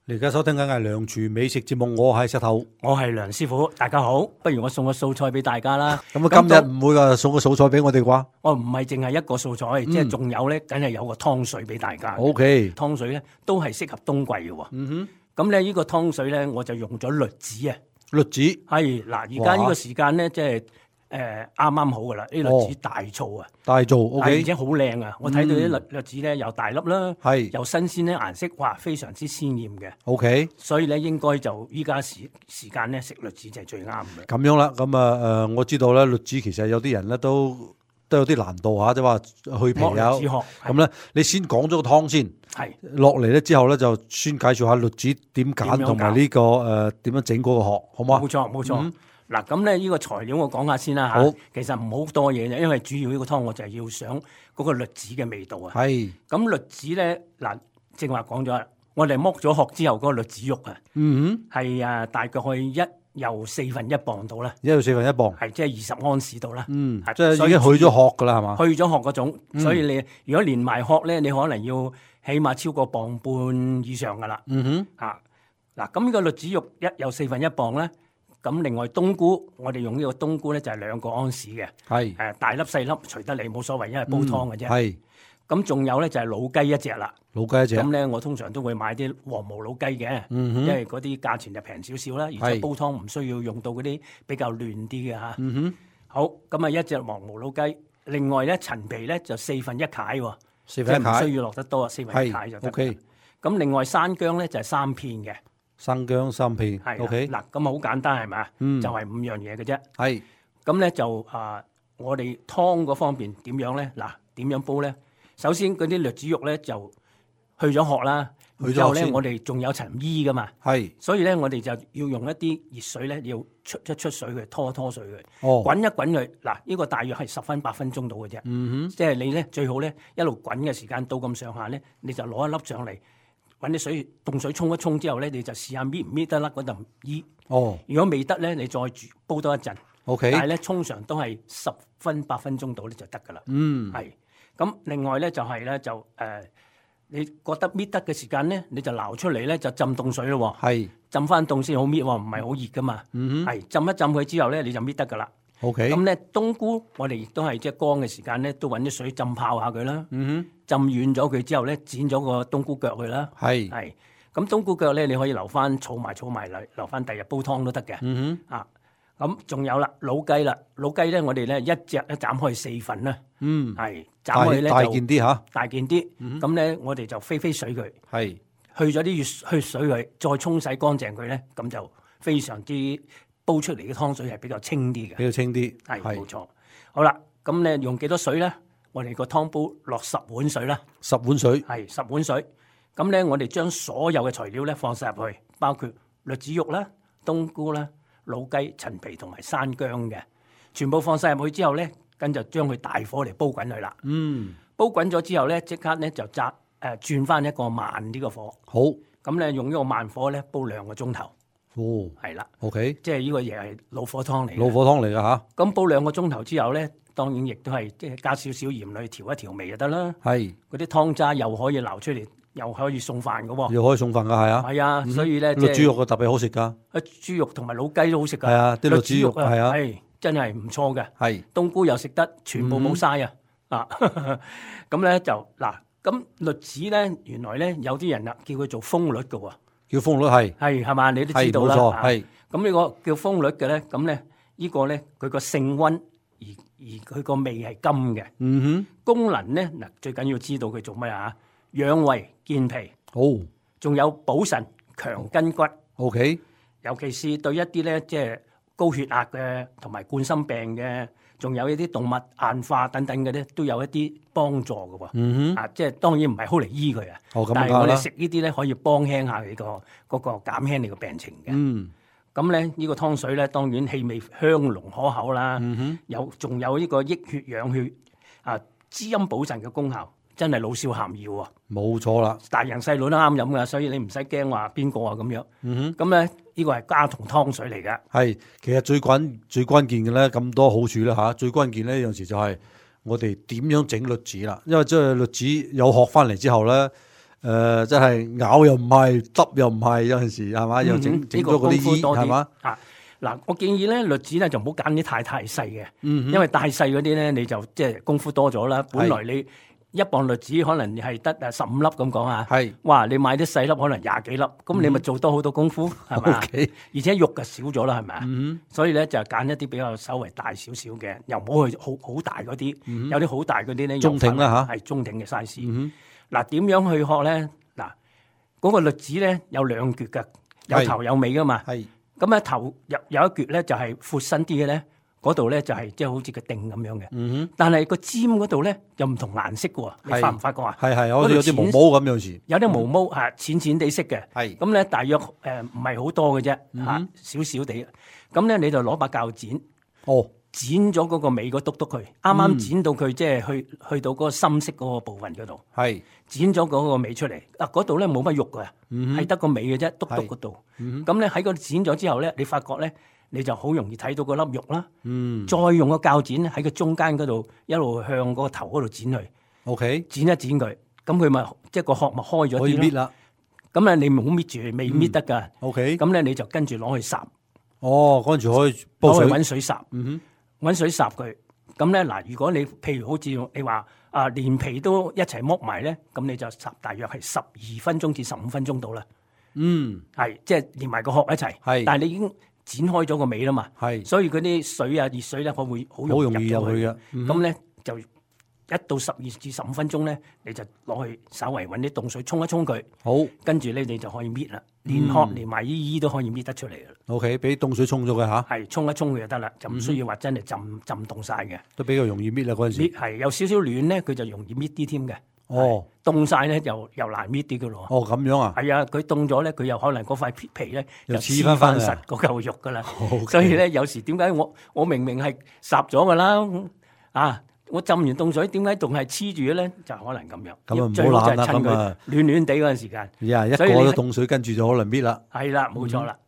你而家收聽緊係梁廚美食節目，我係石頭，我係梁師傅，大家好。不如我送個素菜俾大家啦。咁啊，今日唔會話送個素菜俾我哋啩？我唔係淨係一個素菜，即係仲有咧，梗係有個湯水俾大家。OK，湯水咧都係適合冬季嘅。嗯咁咧呢個湯水咧，我就用咗栗子啊。哼，栗子係嗱，而家呢個時間咧，即係啱啱好噶啦。啲栗子大醋啊，大做而，OK，且好靚啊！我睇到啲栗子咧又大粒啦，係又新鮮咧，顏色哇非常之鮮豔嘅。 OK，所以咧應該就依家時間咧食栗子就係最啱嘅。咁樣啦。咁啊我知道咧，栗子其實有啲人咧都有啲難度嚇，即係話去皮啊。剝栗子殼咁咧，你先講咗個湯先，係落嚟咧之後咧就先介紹下栗子點揀，點樣同埋呢個點樣整嗰個殼，好唔好啊？冇錯冇錯。嗱咁咧，呢個材料我講下先啦嚇。好，其實唔好多嘢嘅，因為主要呢個湯我就係要想嗰個栗子嘅味道啊。係，咁栗子咧嗱，正話講咗啦，我哋剝咗殼之後嗰個栗子肉啊，係大概可以又1/4磅到啦，一到1/4磅，係即係20安士度啦。即係已經去咗殼噶啦，係嘛？去咗殼嗰種，所以你如果連埋殼咧，你可能要起碼超過1.5磅以上噶啦。嗱，咁呢個栗子肉有1/4磅咧。咁另外冬菇，我哋用呢個冬菇咧就係2個安士嘅，係大粒細粒隨得你冇所謂，因為煲湯嘅啫。係，咁仲有咧就係老雞一隻啦。老雞一隻。咁咧我通常都會買啲黃毛老雞嘅，因為嗰啲價錢就平少少啦，而且煲湯唔需要用到嗰啲比較嫩啲嘅嚇。好，咁啊一隻黃毛老雞，另外咧陳皮咧就1/4喎，即係唔需要落得多啊，1/4就得。OK。咁另外山姜咧就係3片嘅。生姜3片，OK。嗱，咁好簡單係咪？就係5樣嘢嘅啫。係。咁咧就我哋湯嗰方面點樣咧？嗱，點樣煲咧？首先嗰啲栗子肉咧就去咗殼啦，然後咧我哋仲有層衣噶嘛。係。所以咧我哋就要用一啲熱水咧，要出水佢，拖水佢，滾一滾佢。嗱，呢個大約係10分8分鐘到嘅啫。即係你咧最好咧一路滾嘅時間到咁上下咧，你就攞一粒上嚟。揾啲凍水沖一沖之後咧，你就試下搣唔搣得甩嗰陣衣。如果未得咧，你再煲多一陣。但係咧，通常都係10分8分鐘到咧就得㗎啦。係。咁另外咧就係咧你覺得搣得嘅時間咧，你就撈出嚟咧就浸凍水咯。係。浸翻凍先好搣喎，唔係好熱㗎嘛。係。浸一浸佢之後咧，你就搣得㗎啦。咁咧冬菇我哋亦都係即係乾嘅時間咧，都揾啲水浸泡下佢啦。浸軟咗佢之後咧，剪咗個冬菇腳佢啦。係。咁冬菇腳咧，你可以留翻儲埋嚟，留翻第日煲湯都得嘅。咁仲有啦，老雞啦，老雞咧我哋咧一隻咧斬開4份啦。係。斬開咧大件啲嚇。大件啲。咁咧我哋就飛水佢。係。去咗啲血水佢，再沖洗乾淨佢咧，咁就非常之。煲出嚟嘅湯水係比較清啲嘅，比較清啲，係冇錯。好啦，咁咧用幾多水咧？我哋個湯煲落10碗水啦，10碗水，係10碗水。咁咧，我哋將所有嘅材料咧放晒入去，包括栗子肉啦、冬菇啦、老雞、陳皮同埋山姜嘅，全部放晒入去之後咧，跟住將佢大火嚟煲滾佢啦。煲滾咗之後咧，即刻咧就轉翻一個慢啲嘅火。好，咁咧用呢個慢火咧煲2個鐘頭。係啦 ，OK，即係呢個嘢係老火湯嚟，老火湯嚟噶吓。咁煲2個鐘頭之後咧，當然亦都係即係加少少鹽嚟調一調味就得啦。係，嗰啲湯渣又可以撈出嚟，又可以送飯噶喎。又可以送飯噶，係啊。係啊，所以咧，栗豬肉特別好食噶。豬肉同埋老雞都好食噶。係啊，啲栗豬肉係啊，係真係唔錯嘅。係，冬菇又食得，全部冇嘥啊。咁咧就嗱，咁栗子咧，原來咧有啲人啊叫佢做蜂栗噶喎。叫蜂栗係嘛？你都知道啦。係咁呢個叫蜂栗嘅咧，咁咧呢個咧佢個性溫而佢個味係甘嘅。功能咧嗱，最緊要知道佢做咩啊？養胃健脾。仲有補腎強筋骨。OK。尤其是對一啲咧即係高血壓嘅同埋冠心病嘅，仲有一啲動脈硬化等等嘅咧，都有一啲幫助嘅喎。即係當然唔係好嚟醫佢啊。但係我哋食呢啲咧，可以幫輕下你個減輕你個病情嘅。咁咧呢個湯水咧，當然氣味香濃可口啦。仲有呢個益血養血滋陰補腎嘅功效，真係老少咸宜喎。冇錯啦，大人細路都啱飲噶，所以你唔使驚話邊個啊咁樣。咁咧呢個係家常湯水嚟嘅。係，其實最關鍵嘅咧，咁多好處咧嚇，最關鍵咧有陣時就係我哋點樣整栗子啦。因為即係栗子有殼翻嚟之後咧，真係咬又唔係，揼又唔係，有陣時係嘛，又整咗嗰啲衣係嘛。嗱，我建議咧，栗子咧就唔好揀啲太細嘅，因為太細嗰啲咧你就即係功夫多咗啦。本來你1磅栗子可能係得15粒咁講啊，哇！你買啲細粒可能20幾粒，咁你咪做多好多功夫係咪？而且肉就少咗啦，係咪啊？所以咧就揀一啲比較稍微大少少嘅，又唔好去好大嗰啲，有啲好大嗰啲咧中挺啦嚇，係中挺嘅 size。嗱，點樣去學咧？嗱，嗰個栗子咧有2橛嘅，有頭有尾噶嘛。咁啊頭有一橛咧就係闊身啲嘅咧，嗰度咧就係即係好似個釘咁樣嘅。但係個尖嗰度咧又唔同顏色嘅喎，你發唔發覺啊？係好似有啲毛毛咁樣似。有啲毛毛係淺淺地色嘅。咁咧大約唔係好多嘅啫，少少地。咁咧你就攞把鉸剪，剪咗嗰個尾嗰篤篤佢，啱啱剪到佢即係去到嗰個深色嗰個部分嗰度。剪咗嗰個尾出嚟，嗰度咧冇乜肉嘅，係得個尾嘅啫，篤篤嗰度。咁咧喺嗰度剪咗之後咧，你發覺咧，你就好容易睇到嗰粒肉啦。再用個鉸剪喺個中間嗰度一路向嗰個頭嗰度剪佢。剪一剪佢，咁佢咪即係個殼咪開咗啲咯。可以搣啦。咁咧你唔好搣住，未搣得㗎。咁咧你就跟住攞去烚。跟住可以煲水。攞去揾水烚。揾水烚佢。咁咧嗱，如果你譬如好似你話連皮都一齊剝埋咧，咁你就烚大約係12分鐘至15分鐘到啦。係即係連埋個殼一齊。但係你已經剪開咗個尾啦嘛。所以嗰啲水熱水咧，佢會好容易入去嘅。咁咧就1到12至15分鐘咧，你就攞去稍微揾啲凍水沖一沖佢。跟住咧你就可以搣啦，連殼連埋衣都可以搣得出嚟嘅啦。俾凍水沖咗佢嚇。係沖一沖佢就得啦，就唔需要話真係浸凍晒嘅。都比較容易搣啦嗰陣時。係有少少暖咧，佢就容易搣啲添嘅。凍晒咧又難搣啲嘅咯。咁樣啊？係啊，佢凍咗咧，佢又可能嗰塊皮咧又黐翻實嗰嚿肉噶啦。所以咧有時點解我明明係烚咗噶啦我浸完凍水，點解仲係黐住嘅咧？就可能咁樣。咁唔好懶啦，咁暖暖地嗰陣時間。一過咗凍水，跟住就可能搣啦。係啦，冇錯啦。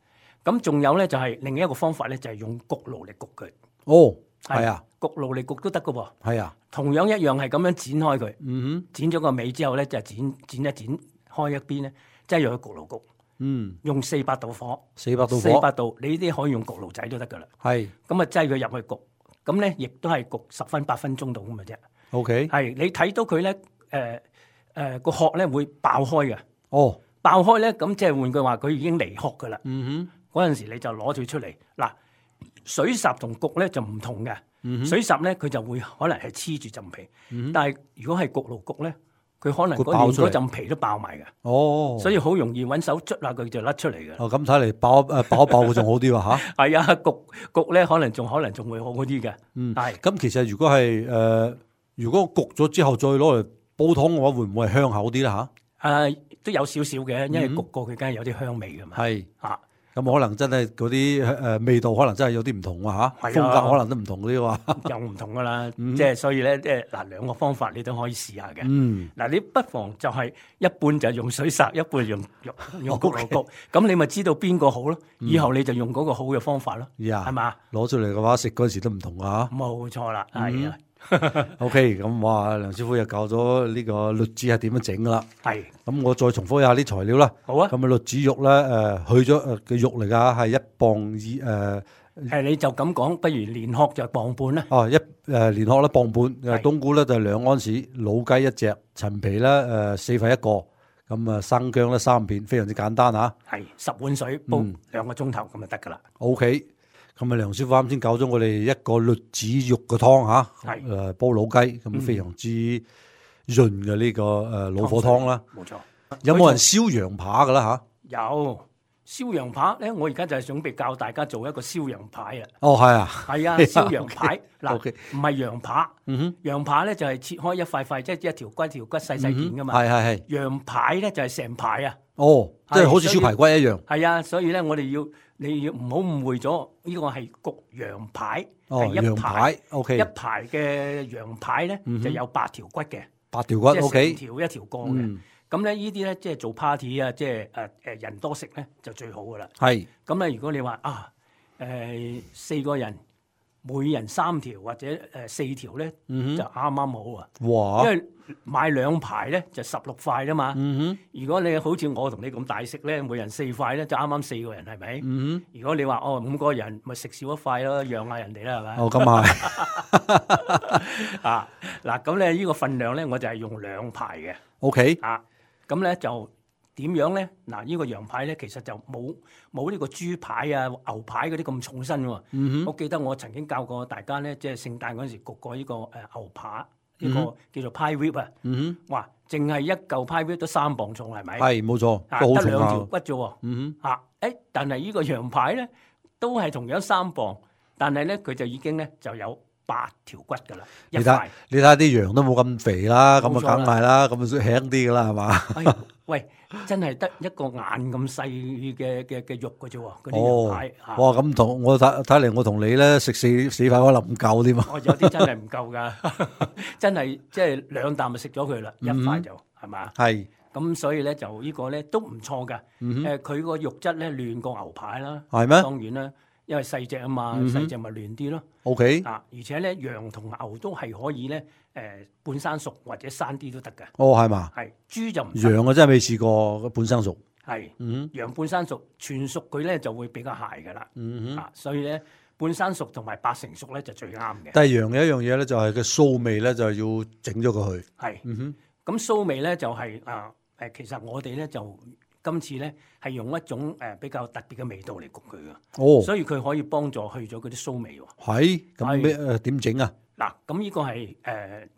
咁仲有咧，就係另一個方法咧，就係用焗爐嚟焗佢。係啊，焗爐嚟焗都得㗎喎。係啊，同樣一樣係咁樣剪開佢。剪咗個尾之後咧，就剪一剪開一邊咧，即係用焗爐焗。用400度火。400度，你呢啲可以用焗爐仔都得㗎啦。咁啊，擠佢入去焗。咁咧，亦都係焗10分8分鐘度咁嘅啫。係你睇到佢咧，個殼咧會爆開嘅。爆開咧，咁即係換句話，佢已經離殼㗎啦。嗰陣時你就攞佢出嚟。嗱，水烚同焗咧就唔同嘅。水烚咧佢就會可能係黐住陣皮，但係如果係焗爐焗咧，佢可能嗰陣皮都爆埋嘅。所以好容易揾手捽下佢就甩出嚟嘅。咁睇嚟爆一爆佢仲好啲喎嚇。係啊，焗咧可能仲會好啲嘅。係。咁其實如果係如果焗咗之後再攞嚟煲湯嘅話，會唔會係香口啲啦嚇？都有少少嘅，因為焗過佢梗係有啲香味㗎嘛。咁可能真係嗰啲味道可能真係有啲唔同啊嚇，風格可能都唔同啲喎。又唔同㗎啦，即係所以咧，兩個方法你都可以試下嘅。嗱，你不妨就係一半就用水烚，一半用焗爐焗，咁你咪知道邊個好咯。以後你就用嗰個好嘅方法咯，係嘛？攞出嚟嘅話，食嗰陣時都唔同啊嚇。冇錯啦，係啊。OK，咁哇，梁師傅又教咗呢個栗子係點樣整噶啦。咁我再重複一下啲材料啦。好啊。咁栗子肉咧，去咗嘅肉嚟噶，係1磅你就咁講，不如連殼就1磅半啦。連殼咧1磅半，冬菇咧就2安士，老雞1隻，陳皮咧4份1個，咁生薑咧3片，非常之簡單啊。係10碗水煲2個鐘頭咁就得噶啦。OK。咁梁師傅啱先教咗我哋一個栗子肉嘅湯嚇，煲老雞，咁非常之潤嘅呢個老火湯啦。冇錯。有冇人燒羊扒㗎啦嚇？有燒羊扒咧，我而家就係準備教大家做一個燒羊排啊。係啊。係啊，燒羊排嗱，唔係羊扒。羊扒咧就係切開一塊塊，即係一條骨細細件㗎嘛。係。羊排咧就係成排啊。即係好似燒排骨一樣。係啊，所以咧你要唔好誤會咗，呢個係焗羊排，係羊排。OK。一排嘅羊排咧就有8條骨嘅。8條骨。OK。即係成條一條過嘅。咁咧呢啲咧即係做 party 啊，即係人多食咧就最好噶啦。係。咁咧如果你話4個人每人3條或者4條咧，就啱啱好啊！哇！因為買2排咧就16塊啦嘛。如果你好似我同你咁大食咧，每人4塊咧，就啱啱4個人係咪？如果你話5個人咪食少1塊咯，讓下人哋啦係咪？咁係啊嗱，咁咧呢個份量咧，我就係用2排嘅。OK 啊，咁咧就點樣咧？嗱，呢個羊排咧，其實就冇呢個豬排啊、牛排嗰啲咁重身喎。我記得我曾經教過大家咧，即係聖誕嗰陣時焗過呢個牛扒，呢個叫做 pie rib 啊。哇，淨係一嚿 pie rib 都3磅重係咪？係冇錯，得2條骨啫喎。但係呢個羊排咧都係同樣3磅，但係咧佢就已經咧就有8條骨㗎啦。你睇啲羊都冇咁肥啦，咁啊梗係啦，咁啊輕啲㗎啦係嘛？喂，真係得一個眼咁細嘅肉嘅啫喎，嗰啲羊排。哇！咁同我睇嚟，我同你咧食四塊可能唔夠添啊！有啲真係唔夠㗎，真係即係2啖就食咗佢啦，1塊就係嘛？係。咁所以咧就呢個咧都唔錯㗎。佢個肉質咧嫩過牛排啦。係咩？當然啦，因為細隻啊嘛，細隻咪嫩啲咯。OK。而且咧羊同牛都係可以咧半生熟或者生啲都得㗎。係嘛？係豬就唔。羊我真係未試過半生熟。係。羊半生熟，全熟佢咧就會比較鞋㗎啦。所以咧半生熟同埋8成熟咧就最啱嘅。但係羊有一樣嘢咧，就係佢臊味咧，就係要整咗佢去。係。咁臊味咧就係其實我哋咧就今次咧係用一種比較特別嘅味道嚟焗佢㗎。所以佢可以幫助去咗嗰啲臊味喎。係。咁咩點整啊？嗱，咁呢個係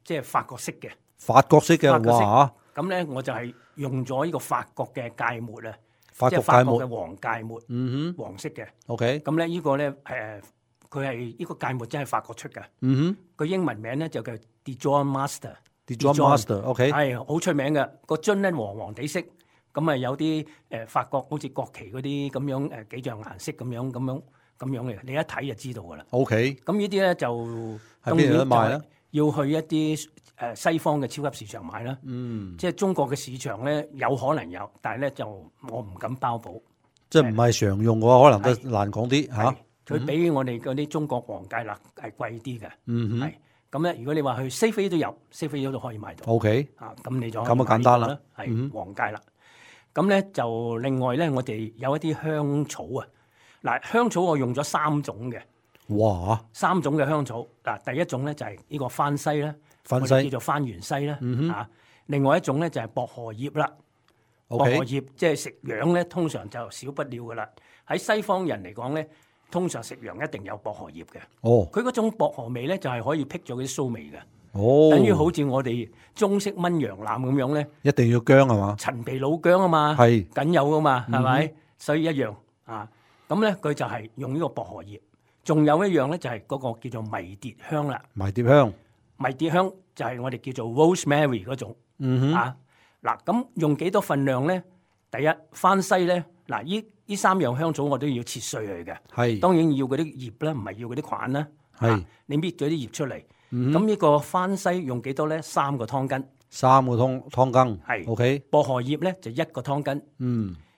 即係法國式嘅。法國式嘅哇！咁咧我就係用咗呢個法國嘅芥末啊，即係法國嘅黃芥末，黃色嘅。OK。咁咧呢個咧佢係呢個芥末真係法國出嘅。佢英文名咧就叫 Dijon Master。Dijon Master，OK。係好出名嘅，個樽咧黃黃地色，咁啊有啲法國好似國旗嗰啲咁樣幾樣顏色咁樣嘅，你一睇就知道㗎啦。OK。咁呢啲咧就喺邊度得賣咧？要去一啲西方嘅超級市場買啦。即係中國嘅市場咧有可能有，但係咧就我唔敢包保。即係唔係常用嘅話，可能都難講啲嚇。佢比我哋嗰啲中國黃芥辣係貴啲嘅。係。咁咧，如果你話去西非都有，西非都可以買到。OK。咁你就咁啊簡單啦。係黃芥辣。咁咧就另外咧，我哋有一啲香草啊。嗱，香草我用咗3種嘅。哇！3種嘅香草。嗱，第一種咧就係呢個番西啦，我哋叫做番芫西啦。另外一種咧就係薄荷葉啦。薄荷葉即係食羊咧，通常就少不了噶啦。喺西方人嚟講咧，通常食羊一定有薄荷葉嘅。佢嗰種薄荷味咧，就係可以辟咗嗰啲臊味嘅。等於好似我哋中式炆羊腩咁樣咧，一定要薑係嘛？陳皮老薑啊嘛，係緊有噶嘛，係咪？所以一樣啊。咁咧，佢就係用呢個薄荷葉。仲有一樣咧，就係嗰個叫做迷迭香啦。迷迭香，迷迭香就係我哋叫做 rosemary 嗰種。嗱，咁用幾多份量咧？第一，番西咧，嗱，呢3樣香草我都要切碎佢嘅。係，當然要嗰啲葉啦，唔係要嗰啲菌啦。係，你搣咗啲葉出嚟。咁呢個番西用幾多咧？3個湯羹。3個湯羹。係。OK。薄荷葉咧就1個湯羹。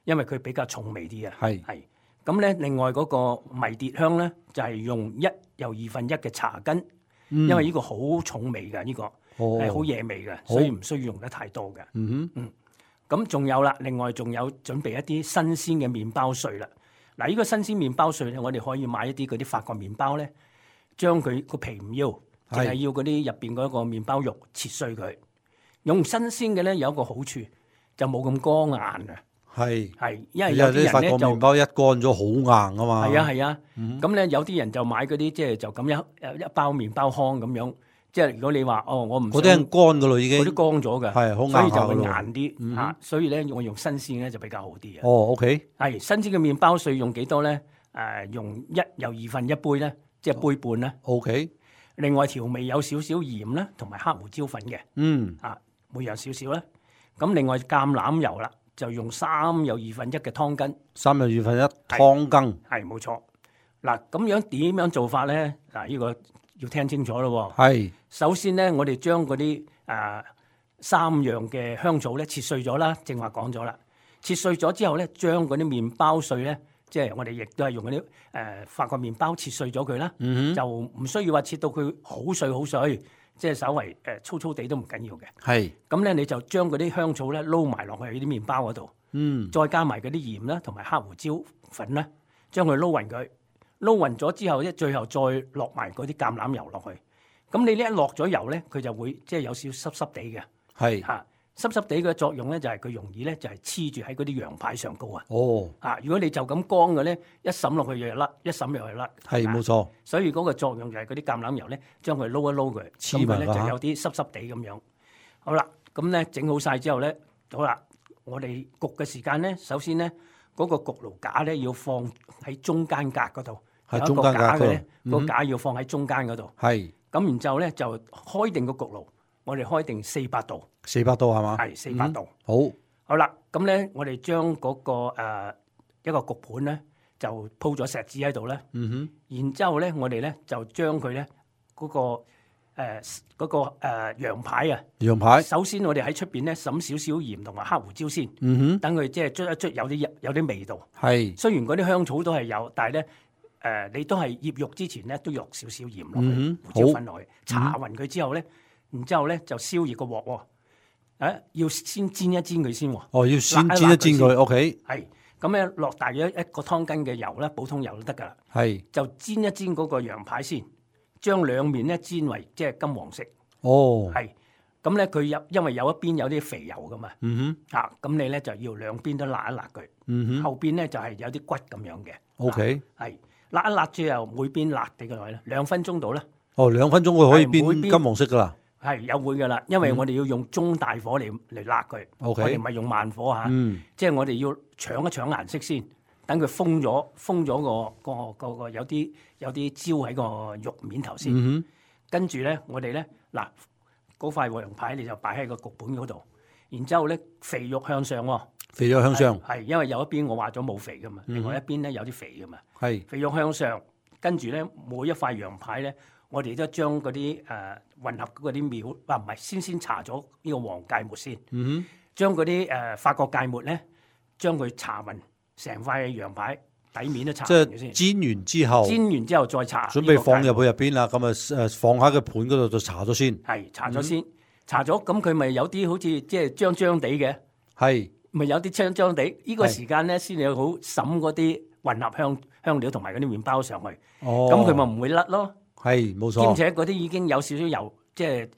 因為佢比較重味啲啊。係。咁咧，另外嗰個迷迭香咧，就係用1又2分1嘅茶根，因為呢個好重味嘅，呢個係好惹味嘅，所以唔需要用得太多嘅。咁仲有啦，另外仲有準備一啲新鮮嘅麵包碎啦。嗱，呢個新鮮麵包碎咧，我哋可以買一啲嗰啲法國麵包咧，將佢個皮唔要，淨係要嗰啲入邊嗰個麵包肉切碎佢。用新鮮嘅咧有一個好處，就冇咁乾硬啊。係，因為有啲人咧就法國麵包一乾咗好硬啊嘛。係啊，咁咧有啲人就買嗰啲即係就咁一包麵包糠咁樣，即係如果你話我唔嗰啲係乾噶咯已經，嗰啲乾咗嘅，係好硬，所以就會硬啲嚇。所以咧我用新鮮咧就比較好啲啊。OK。係新鮮嘅麵包碎用幾多咧？用1又2分1杯咧，即係杯半啦。OK。另外調味有少少鹽啦，同埋黑胡椒粉嘅。每樣少少啦。咁另外橄欖油啦。就用3又2分1嘅湯羹，3又2分1湯羹，係冇錯。嗱，咁樣點樣做法咧？嗱，呢個要聽清楚咯。係，首先咧，我哋將嗰啲3樣嘅香草咧切碎咗啦，正話講咗啦。切碎咗之後咧，將嗰啲麵包碎咧即係我哋亦都係用嗰啲法國麵包切碎咗佢啦，就唔需要話切到佢好碎好碎，即係稍為粗粗地都唔緊要嘅。係咁咧，你就將嗰啲香草咧撈埋落去啲麵包嗰度，再加埋嗰啲鹽啦，同埋黑胡椒粉啦，將佢撈勻佢，撈勻咗之後咧，最後再落埋嗰啲橄欖油落去。咁你呢一落咗油咧，佢就會即係有少濕濕地嘅。係嚇。濕濕地嘅作用咧，就係佢容易咧，就係黐住喺嗰啲羊排上高啊！哦，啊，如果你就咁乾嘅咧，一滲落去又甩，一滲又係甩。係冇錯。所以嗰個作用就係嗰啲橄欖油咧，將佢撈一撈佢，咁佢咧就有啲濕濕地咁樣。好啦，咁咧整好晒之後咧，好啦，我哋焗嘅時間咧，首先咧嗰個焗爐架咧要放喺中間格嗰度，係中間格嘅咧，個架要放喺中間嗰度。係。咁然之後咧就開定個焗爐。我哋開定400度，400度係嘛？係400度。好啦，咁咧我哋將嗰個一個焗盤咧就鋪咗錫紙喺度咧。然之後咧我哋咧就將佢咧嗰個羊排啊，羊排。首先我哋喺出邊咧灑少少鹽同埋黑胡椒先。等佢即係捽一捽有啲味道。係。雖然嗰啲香草都係有，但係咧你都係醃肉之前咧都落少少鹽落去，胡椒粉落去，搽勻佢之後咧。然之後咧就燒熱個鑊喎，要先煎一煎佢先喎。哦，要先煎一煎佢 ，OK。係，咁咧落大約1個湯斤嘅油咧，普通油都得噶啦。係，就煎一煎嗰個羊排先，將兩面咧煎為即係金黃色。哦，係，咁咧佢因為有一邊有啲肥油噶嘛。咁你咧就要兩邊都辣一辣佢。後邊咧就係有啲骨咁樣嘅。OK。係，辣一辣之後每邊辣地嘅耐咧，2分鐘到啦。哦，2分鐘佢可以變金黃色噶啦。係有會噶啦，因為我哋要用中大火嚟辣佢，我哋唔係用慢火嚇，即係我哋要搶一搶顏色先，等佢封咗個有啲焦喺個肉面頭先，跟住咧我哋咧嗱嗰塊羊排你就擺喺個焗盤嗰度，然之後咧肥肉向上喎，肥肉向上係因為有一邊我話咗冇肥噶嘛，另外一邊咧有啲肥噶嘛，係肥肉向上，跟住咧每一塊羊排咧。我哋都將嗰啲混合嗰啲料，唔係先搽咗呢個黃芥末先，將嗰啲法國芥末咧，將佢搽勻成塊羊排底面都搽勻先。即係煎完之後再搽。準備放入去入邊啦，咁放喺個盤嗰度就搽咗先。係搽咗先，搽咗咁佢咪有啲好似即係張張地嘅。係咪有啲張張地？呢個時間咧先有好滲嗰啲混合香料同埋嗰啲麵包上去。哦，咁佢咪唔會甩咯。係冇錯，兼且嗰啲已經有少少油，即係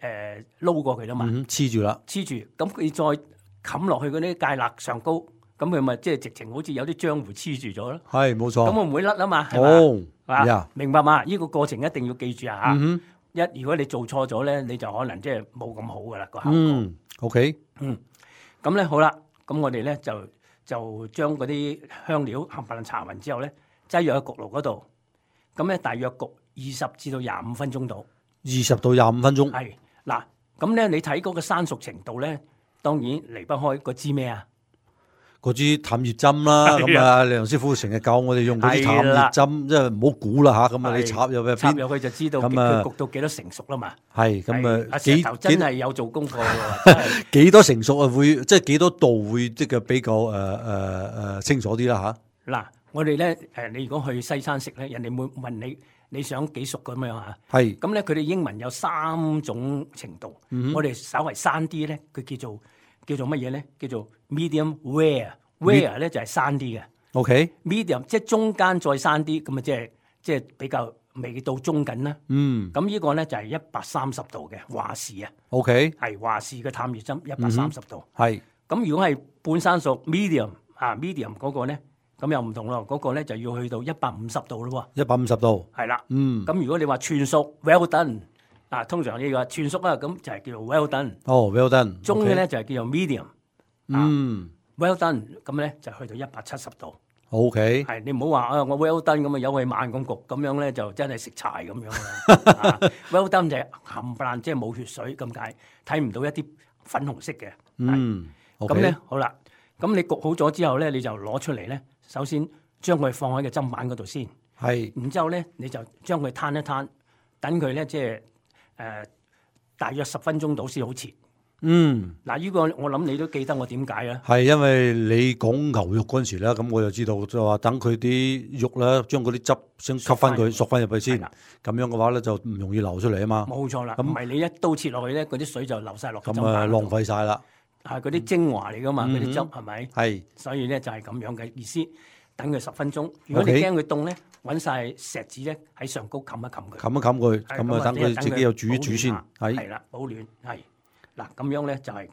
撈過佢啦嘛，黐住啦，黐住，咁佢再冚落去嗰啲芥辣上高，咁佢咪即係直情好似有啲漿糊黐住咗咯。係冇錯，咁我唔會甩啊嘛，係嘛，明白嘛？呢個過程一定要記住啊嚇！如果你做錯咗咧，你就可能即係冇咁好噶啦個效果。OK，咁咧好啦，咁我哋咧就將嗰啲香料冚唪唥搽勻之後咧，擠入喺焗爐嗰度，咁咧大約焗20至到25分鐘到，20到25分鐘。係嗱，咁咧你睇嗰個生熟程度咧，當然離不開嗰支咩啊？嗰支探熱針啦。咁啊，梁師傅成日教我哋用嗰支探熱針，即係唔好估啦嚇。咁啊，你插入去就知道佢焗到幾多成熟啦嘛。係咁啊，石頭真係有做功課喎。幾多成熟啊？會即係幾多度會即係比較清楚啲啦嚇。嗱，我哋咧你如果去西餐食咧，人哋會問你想幾熟咁樣嚇？係咁咧，佢哋英文有3種程度。我哋稍為生啲咧，佢叫做乜嘢咧？叫做 medium rare 咧就係生啲嘅。OK，medium 即係中間再生啲，咁啊即係比較未到中緊啦。咁呢個咧就係130度嘅華氏啊。OK，係華氏嘅探熱針130度。係咁，如果係半生熟 medium 嗰個咧。咁又唔同咯，嗰個咧就要去到150度咯喎。150度。係啦。咁如果你話全熟 well done，通常呢個全熟啊，咁就係叫做 well done。哦 ，well done。中嘅咧就係叫做 medium。well done，咁咧就去到170度。OK。係你唔好話我 well done 咁啊，有佢慢咁焗，咁樣咧就真係食柴咁樣啦。well done 就係冚唪唥，即係冇血水咁解，睇唔到一啲粉紅色嘅。咁咧好啦，咁你焗好咗之後咧，你就攞出嚟咧。首先將佢放喺個砧板嗰度先，係。然之後咧，你就將佢攤一攤，等佢咧即係大約10分鐘到先好切。嗱，呢個我諗你都記得我點解啊？係因為你講牛肉嗰陣時咧，咁我就知道就話等佢啲肉咧，將嗰啲汁先吸翻佢，索翻入去先。咁樣嘅話咧，就唔容易流出嚟啊嘛。冇錯啦，唔係你一刀切落去咧，嗰啲水就流晒落。咁啊，浪費晒啦。係嗰啲精華嚟噶嘛，嗰啲汁係咪？係。所以咧就係咁樣嘅意思。等佢10分鐘。如果你驚佢凍咧，揾晒錫紙咧喺上高冚一冚佢。冚一冚佢，咁啊等佢自己又煮一煮先。係啦，保暖係。嗱咁樣咧就係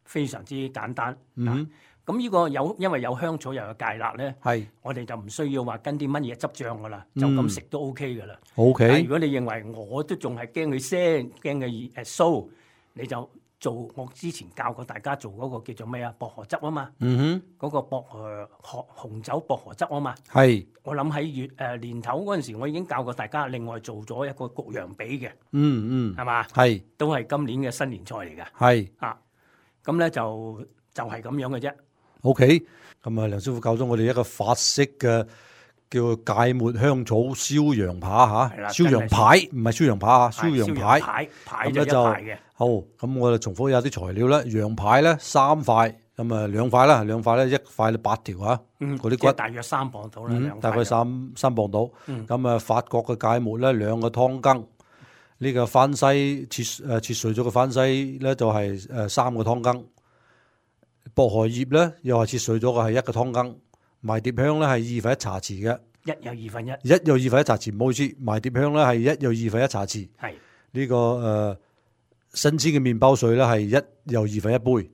非常之簡單。咁呢個因為有香草又有芥辣咧，我哋就唔需要話跟啲乜嘢汁醬噶啦，就咁食都 OK 噶啦。OK。如果你認為我都仲係驚佢腥，驚佢臊，你就做我之前教過大家做嗰個叫做咩啊？薄荷汁啊嘛。嗰個紅酒薄荷汁啊嘛。係。我諗喺年頭嗰陣時，我已經教過大家，另外做咗一個焗羊髀嘅。係嘛？係。都係今年嘅新年菜嚟嘅。係。啊，咁咧就係咁樣嘅啫。OK，咁啊，梁師傅教咗我哋一個法式嘅叫芥末香草燒羊扒嚇，燒羊排唔係燒羊扒嚇，燒羊排。排就一排嘅。好，咁我哋重複一下啲材料啦。羊排咧3塊，咁啊2塊啦，2塊咧1塊咧8條嚇，嗰啲骨大約3磅到啦，大概3磅到。咁啊，法國嘅芥末咧2個湯羹，呢個番西切碎咗嘅番西咧就係3個湯羹。薄荷葉咧又係切碎咗嘅係1個湯羹，迷迭香咧係2份1茶匙嘅，1有2份1，1有2份1茶匙，唔好意思，迷迭香咧係1有2份1茶匙，係呢個新鮮嘅麵包碎咧係1有2份1杯，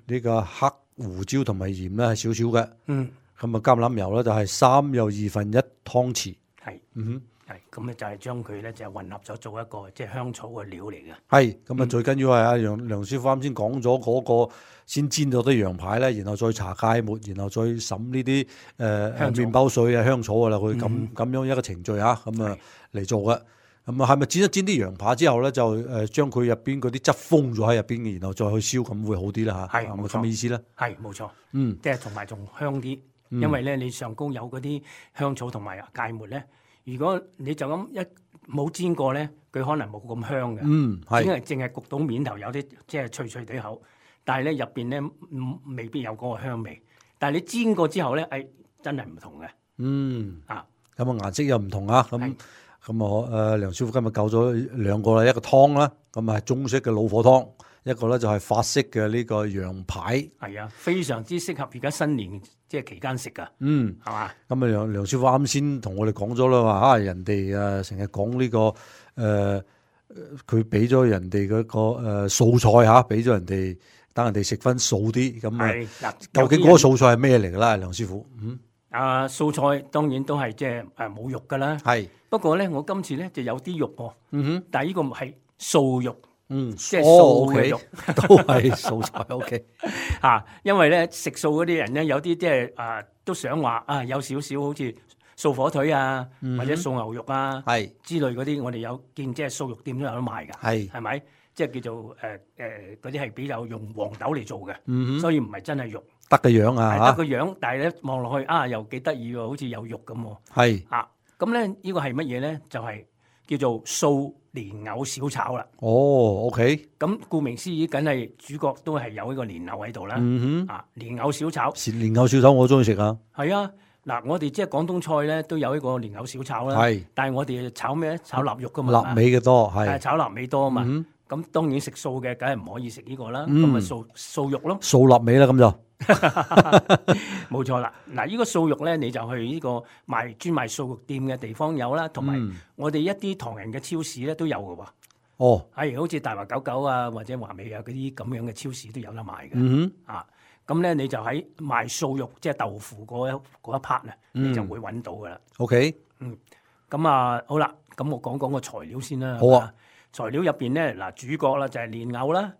呢個黑胡椒同埋鹽咧係少少嘅，咁啊橄欖油咧就係3有2份1湯匙，係，係咁咧就係將佢咧就混合咗做一個即係香草嘅料嚟嘅。係咁啊，最緊要係阿梁師傅啱先講咗嗰個先煎咗啲羊排咧，然後再搽芥末，然後再滲呢啲麵包碎啊香草噶啦，佢咁樣一個程序啊，咁啊嚟做嘅。咁啊係咪煎一煎啲羊排之後咧，就將佢入邊嗰啲汁封咗喺入邊嘅，然後再去燒咁會好啲啦嚇？係咪咁嘅意思咧？係冇錯，即係同埋仲香啲，因為咧你上高有嗰啲香草同埋芥末咧。如果你就咁冇煎過咧，佢可能冇咁香嘅。因為淨係焗到面頭有啲即係脆脆地口，但係咧入邊咧未必有嗰個香味。但係你煎過之後咧，真係唔同嘅。咁啊顏色又唔同啊。咁我梁師傅今日教咗2個啦，一個湯啦，咁啊係中式嘅老火湯，一個咧就係法式嘅呢個羊排。係啊，非常之適合而家新年即係期間食噶。係嘛？咁啊梁師傅啱先同我哋講咗啦，話人哋成日講呢個佢俾咗人哋嗰個素菜嚇，俾咗人哋等人哋食翻素啲。咁啊，究竟嗰個素菜係咩嚟㗎啦，梁師傅？素菜當然都係即係冇肉㗎啦。係。不過咧，我今次咧就有啲肉喎。但係呢個係素肉。即係素嘅肉，都係素菜。OK。因為咧食素嗰啲人咧，有啲即係都想話有少少好似素火腿啊，或者素牛肉啊，係之類嗰啲，我哋有見即係素肉店都有得賣㗎。係咪？即係叫做嗰啲係比較用黃豆嚟做嘅，所以唔係真係肉。得個樣啊，得個樣，但係咧望落去又幾得意喎，好似有肉咁喎。係咁咧，呢個係乜嘢咧？就係叫做素蓮藕小炒啦。OK。咁顧名思義，梗係主角都係有呢個蓮藕喺度啦。蓮藕小炒。蓮藕小炒我中意食啊。係啊，嗱，我哋即係廣東菜咧都有呢個蓮藕小炒啦。係。但係我哋炒咩咧？炒臘肉噶嘛。臘味嘅多係。炒臘味多啊嘛。咁當然食素嘅，梗係唔可以食呢個啦。咁咪素肉咯。素臘味啦，咁就。冇錯啦，嗱，呢個素肉咧，你就去呢個專賣素肉店嘅地方有啦，同埋我哋一啲唐人嘅超市咧都有嘅喎。係好似大華99啊，或者華美啊嗰啲咁樣嘅超市都有得賣嘅。咁咧你就喺賣素肉，即係豆腐嗰一 part 啊，你就會揾到噶啦。OK。咁好啦，咁我講個材料先啦。好啊。材料入邊咧，嗱，主角啦就係蓮藕啦。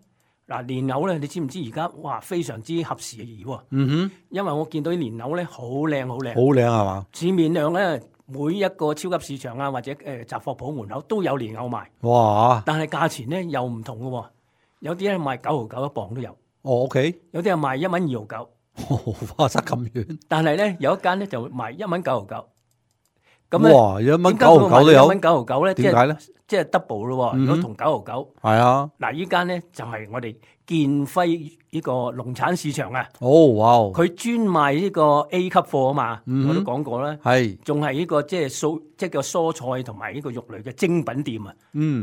嗱，蓮藕咧，你知唔知而家非常之合時宜喎？因為我見到啲蓮藕咧好靚，好靚。好靚係嘛？市面上咧，每一個超級市場啊，或者雜貨鋪門口都有蓮藕賣。哇！但係價錢咧又唔同嘅喎，有啲咧賣9毫9一磅都有。OK。有啲係賣1蚊2毫9。哇！差咁遠。但係咧有一間咧就賣1蚊9毫9。咁咧，哇！1蚊9毫9都有。1蚊9毫9咧，點解咧？即係 double 咯喎！如果同9毫9，係啊。嗱，依間咧就係我哋建輝呢個農產市場啊！哇！佢專賣呢個 A 級貨啊嘛，我都講過啦。係，仲係呢個即係叫蔬菜同埋呢個肉類嘅精品店啊。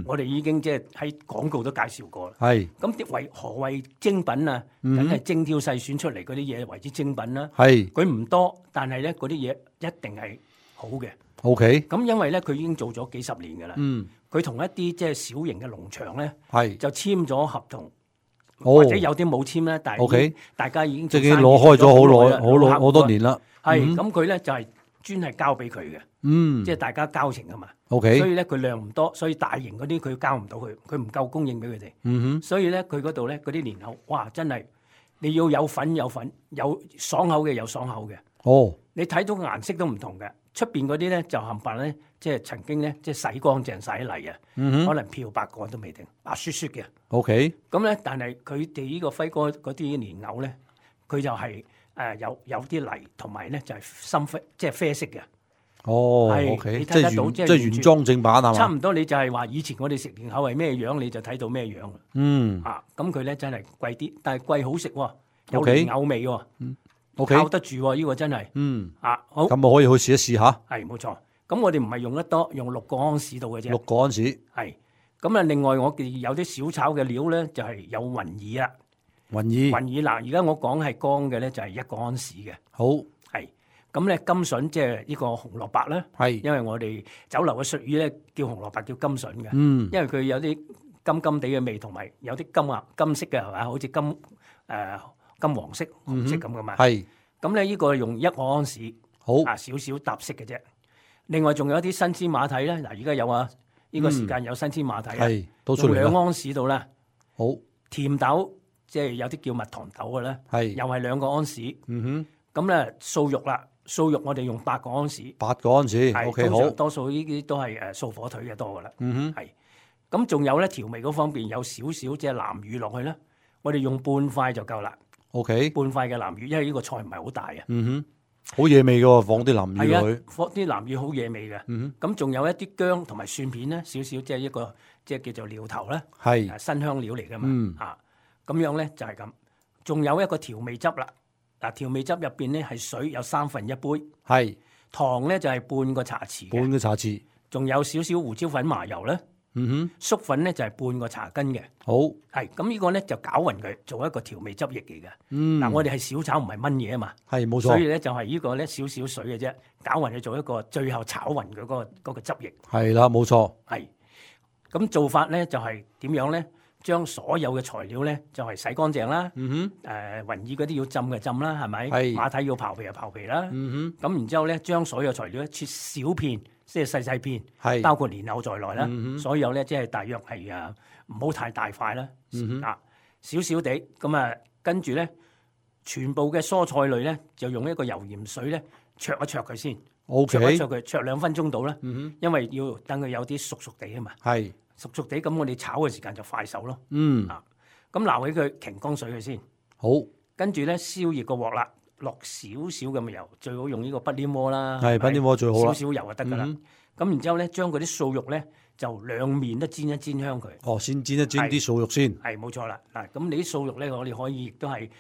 我哋已經即係喺廣告都介紹過啦。係。咁何謂精品啊？梗係精挑細選出嚟嗰啲嘢為之精品啦。係。佢唔多，但係咧嗰啲嘢一定係好嘅。OK。咁因為咧佢已經做咗幾十年㗎啦。佢同一啲即係小型嘅農場咧，就簽咗合同。或者有啲冇簽咧，但係大家已經即係已經攞開咗好多年啦。係咁佢咧就係專係交俾佢嘅，即係大家交情啊嘛。所以咧佢量唔多，所以大型嗰啲佢交唔到佢唔夠供應俾佢哋。所以咧佢嗰度咧嗰啲年口，哇真係你要有粉，有爽口嘅有爽口嘅。你睇到顏色都唔同嘅。出邊嗰啲咧就冚唪唥咧，即係曾經咧即係洗乾淨晒嚟啊，可能漂白過都未定，白雪雪嘅。OK。咁咧，但係佢哋呢個輝哥嗰啲蓮藕咧，佢就係有啲泥，同埋咧就係深啡，即係啡色嘅。OK。你睇得到即係原裝正版係嘛？差唔多，你就係話以前我哋食蓮藕係咩樣，你就睇到咩樣。咁佢咧真係貴啲，但係貴好食喎，有蓮藕味喎。靠得住喎，呢個真係。好。咁我可以去試一試下。係冇錯。咁我哋唔係用得多，用6個安士度嘅啫。6個安士。係。咁啊，另外我哋有啲小炒嘅料咧，就係有雲耳啦。雲耳嗱，而家我講係乾嘅咧，就係1個安士嘅。好。係。咁咧甘筍即係呢個紅蘿蔔咧。係。因為我哋酒樓嘅術語咧，叫紅蘿蔔叫甘筍嘅。因為佢有啲甘甘地嘅味，同埋有啲金色嘅係嘛，好似金黃色、紅色咁噶嘛，係咁咧。呢個用1個安士，好少少搭色嘅啫。另外仲有一啲新鮮馬蹄咧，嗱而家有啊，呢個時間有新鮮馬蹄啊，用2安士度啦。好甜豆，即係有啲叫蜜糖豆嘅咧，係又係2個安士。咁咧素肉啦，素肉我哋用8個安士，8個安士，OK 好。多數呢啲都係素火腿嘅多噶啦，係。咁仲有咧調味嗰方面有少少即係南乳落去咧，我哋用半塊就夠啦。OK， 半塊嘅南乳，因為呢個菜唔係好大啊。好惹味嘅喎，放啲南乳落去。放啲南乳好惹味嘅。咁仲有一啲薑同埋蒜片咧，少少即係一個即係叫做料頭啦。係新香料嚟㗎嘛。咁樣咧就係咁。仲有一個調味汁啦。嗱，調味汁入邊咧係水有1/3杯。係糖咧就係半個茶匙。半個茶匙。仲有少少胡椒粉、麻油咧。粟粉咧就係半個茶羹嘅。好，係咁呢個咧就攪勻佢，做一個調味汁液嚟嘅。嗱，我哋係小炒唔係燜嘢啊嘛。係冇錯。所以咧就係呢個咧少少水嘅啫，攪勻佢做一個最後炒勻佢嗰個汁液。係啦，冇錯。係咁做法咧就係點樣咧？將所有嘅材料咧就係洗乾淨啦。雲耳嗰啲要浸嘅浸啦，係咪？係。馬蹄要刨皮就刨皮啦。咁然之後咧，將所有材料切小片。即係細片，係包括蓮藕在內啦。所有咧即係大約係唔好太大塊啦。少少地咁啊，跟住咧全部嘅蔬菜類咧就用一個油鹽水咧焯一焯佢先。OK，焯一焯佢，焯2分鐘到啦。因為要等佢有啲熟熟地啊嘛。係熟熟地，咁我哋炒嘅時間就快手咯。咁撈起佢擎乾水佢先。好，跟住咧燒熱個鑊啦。落少少咁嘅油，最好用呢個不黏鍋啦。係不黏鍋最好啦。少少油就得噶啦。咁然之後咧，將嗰啲素肉咧就兩面都煎一煎香佢。哦，先煎一煎啲素肉先。係冇錯啦。嗱，咁你啲素肉咧，我哋可以亦都係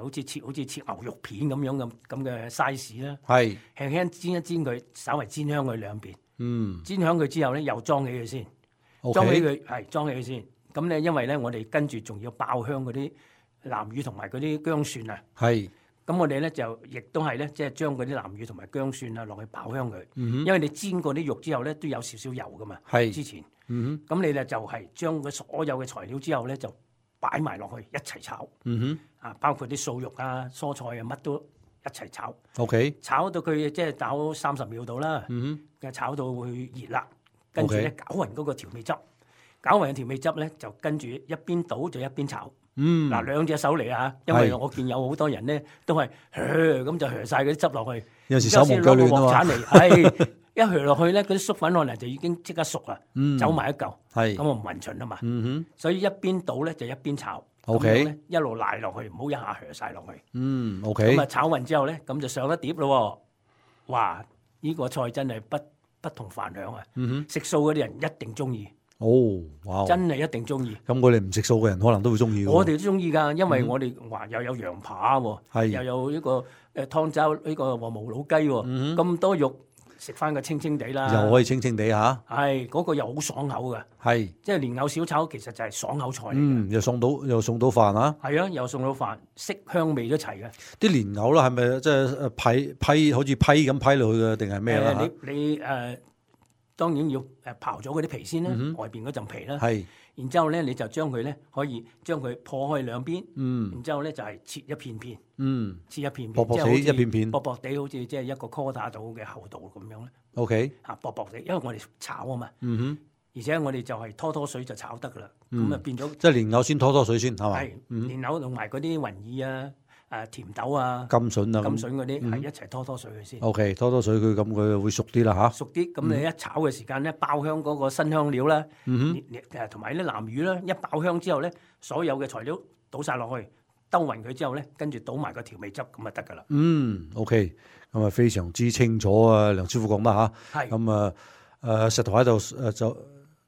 好似切牛肉片咁樣咁嘅 size 啦。係輕輕煎一煎佢，稍微煎香佢兩邊。煎香佢之後咧，又裝起佢先。裝起佢係裝起佢先。咁咧，因為咧，我哋跟住仲要爆香嗰啲南乳同埋嗰啲薑蒜啊。係。咁我哋咧就亦都係咧，即係將嗰啲南乳同埋薑蒜啊落去爆香佢。因為你煎過啲肉之後咧，都有少少油噶嘛。係之前。咁你咧就係將佢所有嘅材料之後咧，就擺埋落去一齊炒。包括啲素肉啊、蔬菜啊，乜都一齊炒。OK。炒到佢即係炒30秒度啦。炒到佢熱啦，跟住咧攪勻嗰個調味汁，攪勻嘅調味汁咧就跟住一邊倒就一邊炒。嗱，兩隻手嚟啊！因為我見有好多人咧都係咁就曬嗰啲汁落去，有時手忙腳亂啊嘛。係一落去咧，嗰啲粟粉可能就已經即刻熟啦，走埋一嚿。係咁我唔勻循啊嘛。所以一邊倒咧就一邊炒。OK，一路賴落去，唔好一下曬落去。OK。咁啊炒勻之後咧，咁就上一碟咯。哇！呢個菜真係不同凡響啊！食素嗰啲人一定中意。哇！真係一定中意。咁我哋唔食素嘅人可能都會中意。我哋都中意㗎，因為我哋話又有羊扒喎，又有呢個湯渣呢個和無老雞喎，咁多肉。食翻個清清地啦，又可以清清地嚇，係嗰個又好爽口嘅，係即係蓮藕小炒其實就係爽口菜嚟嘅，又送到飯啊，係啊，又送到飯，色香味都齊嘅。啲蓮藕啦，係咪即係批好似批咁批落去嘅，定係咩啦？你當然要刨咗嗰啲皮先啦，外邊嗰陣皮啦，係。然之後咧，你就將佢咧可以將佢破開兩邊，然之後咧就係切一片片，切一片片，薄薄地一片片，薄薄地好似即係一個 quarter 度嘅厚度咁樣咧。OK，嚇薄薄地，因為我哋炒啊嘛，而且我哋就係拖水就炒得噶啦，咁啊變咗即係蓮藕先拖水先係嘛？係蓮藕同埋嗰啲雲耳啊。甜豆啊、甘筍啊、甘筍嗰啲係一齊拖水佢先。OK，拖水佢咁佢會熟啲啦嚇。熟啲，咁你一炒嘅時間咧，爆香嗰個新香料啦，同埋啲南乳啦，一爆香之後咧，所有嘅材料倒晒落去，兜勻佢之後咧，跟住倒埋個調味汁咁就得㗎啦。OK，咁啊非常之清楚啊，梁師傅講得嚇。係。咁石頭喺度就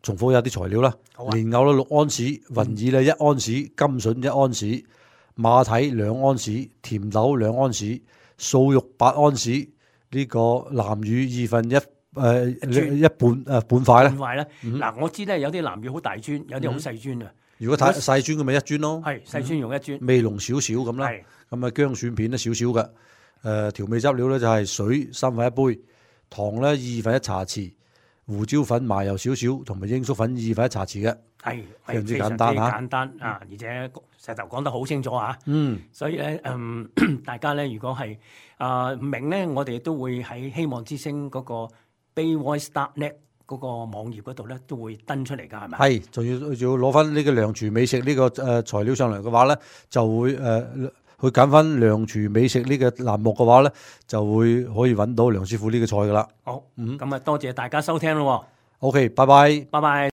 重複一啲材料啦。蓮藕啦6安士，雲耳啦1安士，甘筍1安士。馬蹄2安士，甜豆2安士，素肉8安士，呢個南乳1/2半塊啦。半塊啦，嗱我知咧有啲南乳好大磚，有啲好細磚啊。如果太細磚咁咪1磚咯。係細磚用1磚，味濃少少咁啦。咁啊薑蒜片咧少少嘅，調味汁料咧就係水3/1杯，糖咧1/2茶匙，胡椒粉麻油少少，同埋鷹粟粉1/2茶匙嘅。係非常之簡單嚇，簡單啊！而且石頭講得好清楚啊，所以咧大家咧如果係唔明咧，我哋都會喺希望之星嗰個 bayvoice.net 嗰個網頁嗰度咧都會登出嚟㗎，係咪？係，仲要攞翻呢個梁廚美食呢個材料上嚟嘅話咧，就會去揀翻梁廚美食呢個欄目嘅話咧，就會可以揾到梁師傅呢個菜㗎啦。好，咁啊多謝大家收聽咯。OK，拜拜，拜拜。